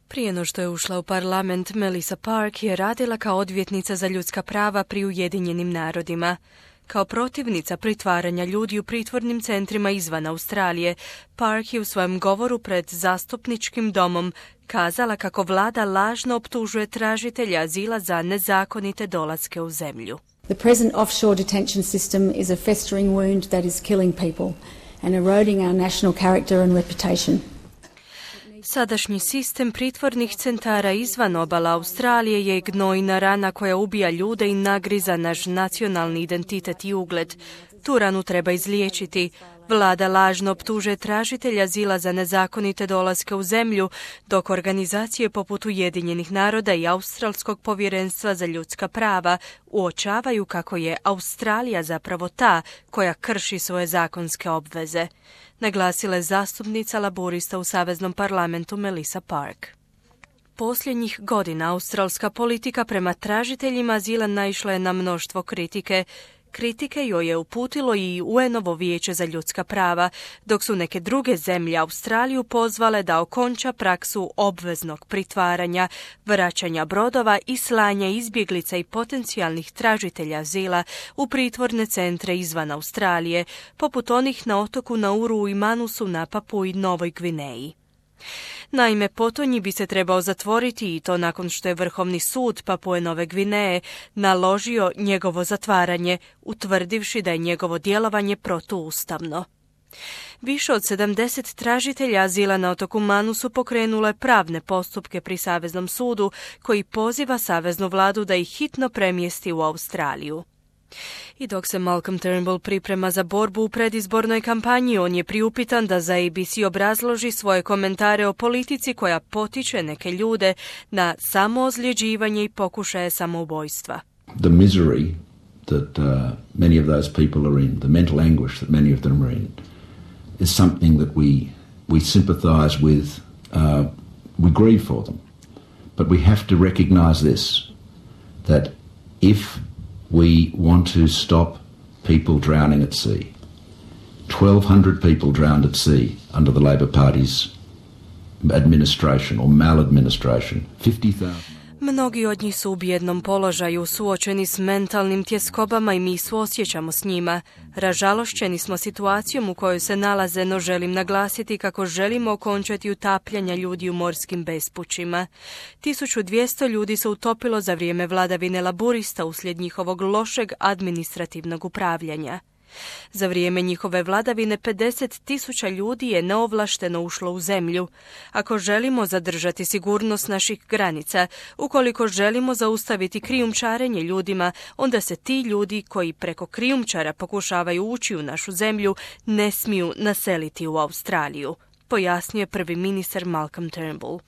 Prije no što je ušla u parlament, Melissa Park je radila kao odvjetnica za ljudska prava pri Ujedinjenim narodima. Kao protivnica pritvaranja ljudi u pritvornim centrima izvan Australije, Park je u svojem govoru pred zastupničkim domom kazala kako vlada lažno optužuje tražitelja azila za nezakonite dolaske u zemlju. The present offshore detention system is a festering wound that is killing people and eroding our national character and reputation. Sadašnji sistem pritvornih centara izvan obala Australije je gnojna rana koja ubija ljude i nagriza naš nacionalni identitet i ugled. Tu ranu treba izliječiti. Vlada lažno optužuje tražitelja azila za nezakonite dolaske u zemlju, dok organizacije poput Ujedinjenih naroda i Australskog povjerenstva za ljudska prava uočavaju kako je Australija zapravo ta koja krši svoje zakonske obveze, naglasila je zastupnica laborista u Saveznom parlamentu Melissa Park. Posljednjih godina australska politika prema tražiteljima azila naišla je na mnoštvo kritike. Kritike joj je uputilo i UN-ovo vijeće za ljudska prava, dok su neke druge zemlje Australiju pozvale da okonča praksu obveznog pritvaranja, vraćanja brodova i slanja izbjeglica i potencijalnih tražitelja azila u pritvorne centre izvan Australije, poput onih na otoku Nauru i Manusu na Papui Novoj Gvineji. Naime, potonji bi se trebao zatvoriti i to nakon što je Vrhovni sud Papue Nove Gvineje naložio njegovo zatvaranje, utvrdivši da je njegovo djelovanje protuustavno. Više od 70 tražitelja azila na otoku Manusu pokrenulo je pravne postupke pri Saveznom sudu koji poziva saveznu vladu da ih hitno premjesti u Australiju. I dok se Malcolm Turnbull priprema za borbu u predizbornoj kampanji, on je priupitan da za ABC obrazloži svoje komentare o politici koja potiče neke ljude na samoozljeđivanje i pokušaje samoubojstva. The misery that many of those people are in, the mental anguish that many of them are in, is something that we sympathize with, we grieve for them. But we have to recognize this, that if we want to stop people drowning at sea. 1,200 people drowned at sea under the Labor Party's administration or maladministration. 50,000. Mnogi od njih su u bijednom položaju, suočeni s mentalnim tjeskobama i mi suosjećamo s njima. Ražalošćeni smo situacijom u kojoj se nalaze, no želim naglasiti kako želimo okončati utapljanja ljudi u morskim bespućima. 1200 ljudi se utopilo za vrijeme vladavine laborista uslijed njihovog lošeg administrativnog upravljanja. Za vrijeme njihove vladavine 50,000 ljudi je neovlašteno ušlo u zemlju. Ako želimo zadržati sigurnost naših granica, ukoliko želimo zaustaviti krijumčarenje ljudima, onda se ti ljudi koji preko krijumčara pokušavaju ući u našu zemlju ne smiju naseliti u Australiju, pojasnio je prvi ministar Malcolm Turnbull.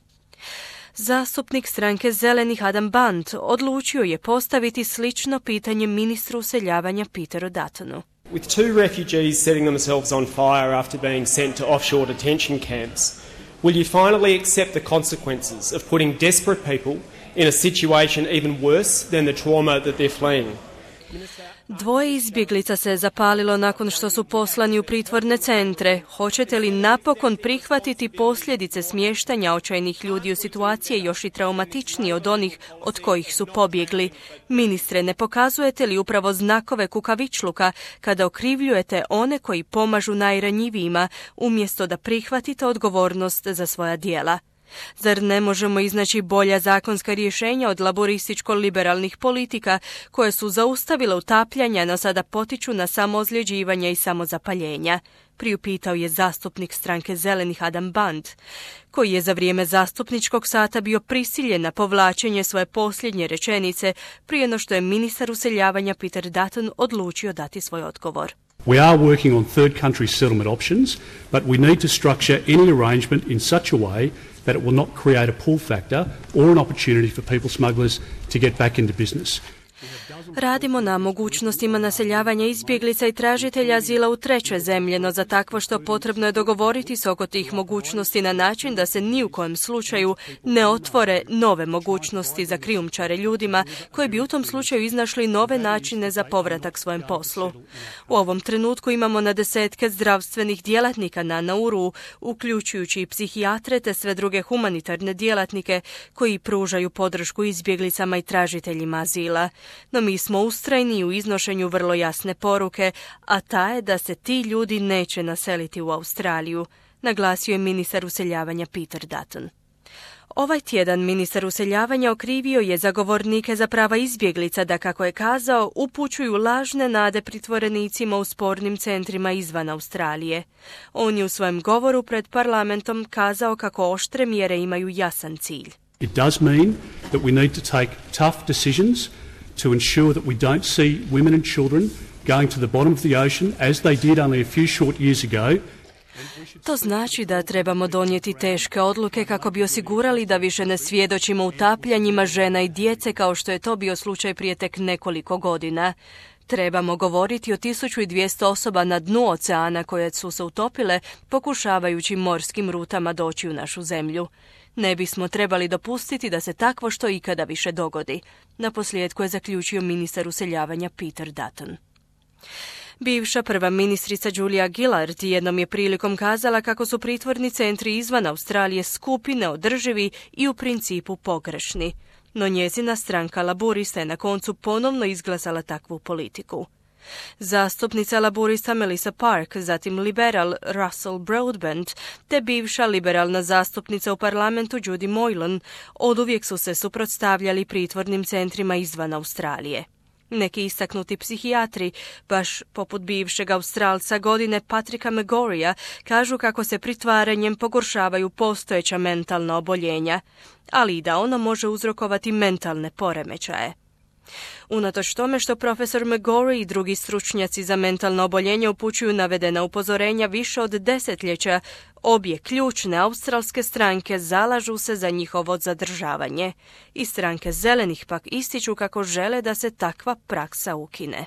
Zastupnik stranke Zelenih Adam Band odlučio je postaviti slično pitanje ministru useljavanja Peteru Duttonu. With two refugees setting themselves on fire after being sent to offshore detention camps, will you finally accept the consequences of putting desperate people in a situation even worse than the trauma that they're fleeing? Dvoje izbjeglica se zapalilo nakon što su poslani u pritvorne centre. Hoćete li napokon prihvatiti posljedice smještanja očajnih ljudi u situacije još i traumatičnije od onih od kojih su pobjegli? Ministre, ne pokazujete li upravo znakove kukavičluka kada okrivljujete one koji pomažu najranjivijima umjesto da prihvatite odgovornost za svoja djela? Zar ne možemo iznaći bolja zakonska rješenja od laborističko-liberalnih politika koje su zaustavile utapljanja, no sada potiču na samoozljeđivanje i samozapaljenja? Priupitao je zastupnik stranke Zelenih Adam Band, koji je za vrijeme zastupničkog sata bio prisiljen na povlačenje svoje posljednje rečenice prije no što je ministar useljavanja Peter Dutton odlučio dati svoj odgovor. We are working on third country settlement options, but we need to structure any arrangement in such a way that it will not create a pull factor or an opportunity for people smugglers to get back into business. Radimo na mogućnostima naseljavanja izbjeglica i tražitelja azila u treće zemlje, no za takvo što potrebno je dogovoriti se oko tih mogućnosti na način da se ni u kojem slučaju ne otvore nove mogućnosti za krijumčare ljudima koji bi u tom slučaju iznašli nove načine za povratak svojem poslu. U ovom trenutku imamo na desetke zdravstvenih djelatnika na Nauru, uključujući i psihijatre te sve druge humanitarne djelatnike koji pružaju podršku izbjeglicama i tražiteljima azila. No mi smo ustrajni u iznošenju vrlo jasne poruke, a ta je da se ti ljudi neće naseliti u Australiju, naglasio je ministar useljavanja Peter Dutton. Ovaj tjedan ministar useljavanja okrivio je zagovornike za prava izbjeglica da, kako je kazao, upućuju lažne nade pritvorenicima u spornim centrima izvan Australije. On je u svojem govoru pred parlamentom kazao kako oštre mjere imaju jasan cilj. It does mean that we need to take tough decisions to ensure that we don't see women and children going to the bottom of the ocean as they did only a few short years ago. To znači da trebamo donijeti teške odluke kako bi osigurali da više ne svjedočimo utapljanjima žena i djece kao što je to bio slučaj prije tek nekoliko godina. Trebamo govoriti o 1200 osoba na dnu oceana koje su se utopile pokušavajući morskim rutama doći u našu zemlju. Ne bismo trebali dopustiti da se takvo što ikada više dogodi, naposljetku je zaključio ministar useljavanja Peter Dutton. Bivša prva ministrica Julia Gillard jednom je prilikom kazala kako su pritvorni centri izvan Australije skupi, neodrživi i u principu pogrešni. No njezina stranka Laburista je na koncu ponovno izglasala takvu politiku. Zastupnica Laburista Melissa Park, zatim liberal Russell Broadbent te bivša liberalna zastupnica u parlamentu Judy Moylan oduvijek su se suprotstavljali pritvornim centrima izvan Australije. Neki istaknuti psihijatri, baš poput bivšeg Australca godine Patricka McGorrya, kažu kako se pritvaranjem pogoršavaju postojeća mentalna oboljenja, ali i da ono može uzrokovati mentalne poremećaje. Unatoč tome što profesor McGorry i drugi stručnjaci za mentalno oboljenje upućuju navedena upozorenja više od desetljeća, obje ključne australske stranke zalažu se za njihovo zadržavanje. I stranke zelenih pak ističu kako žele da se takva praksa ukine.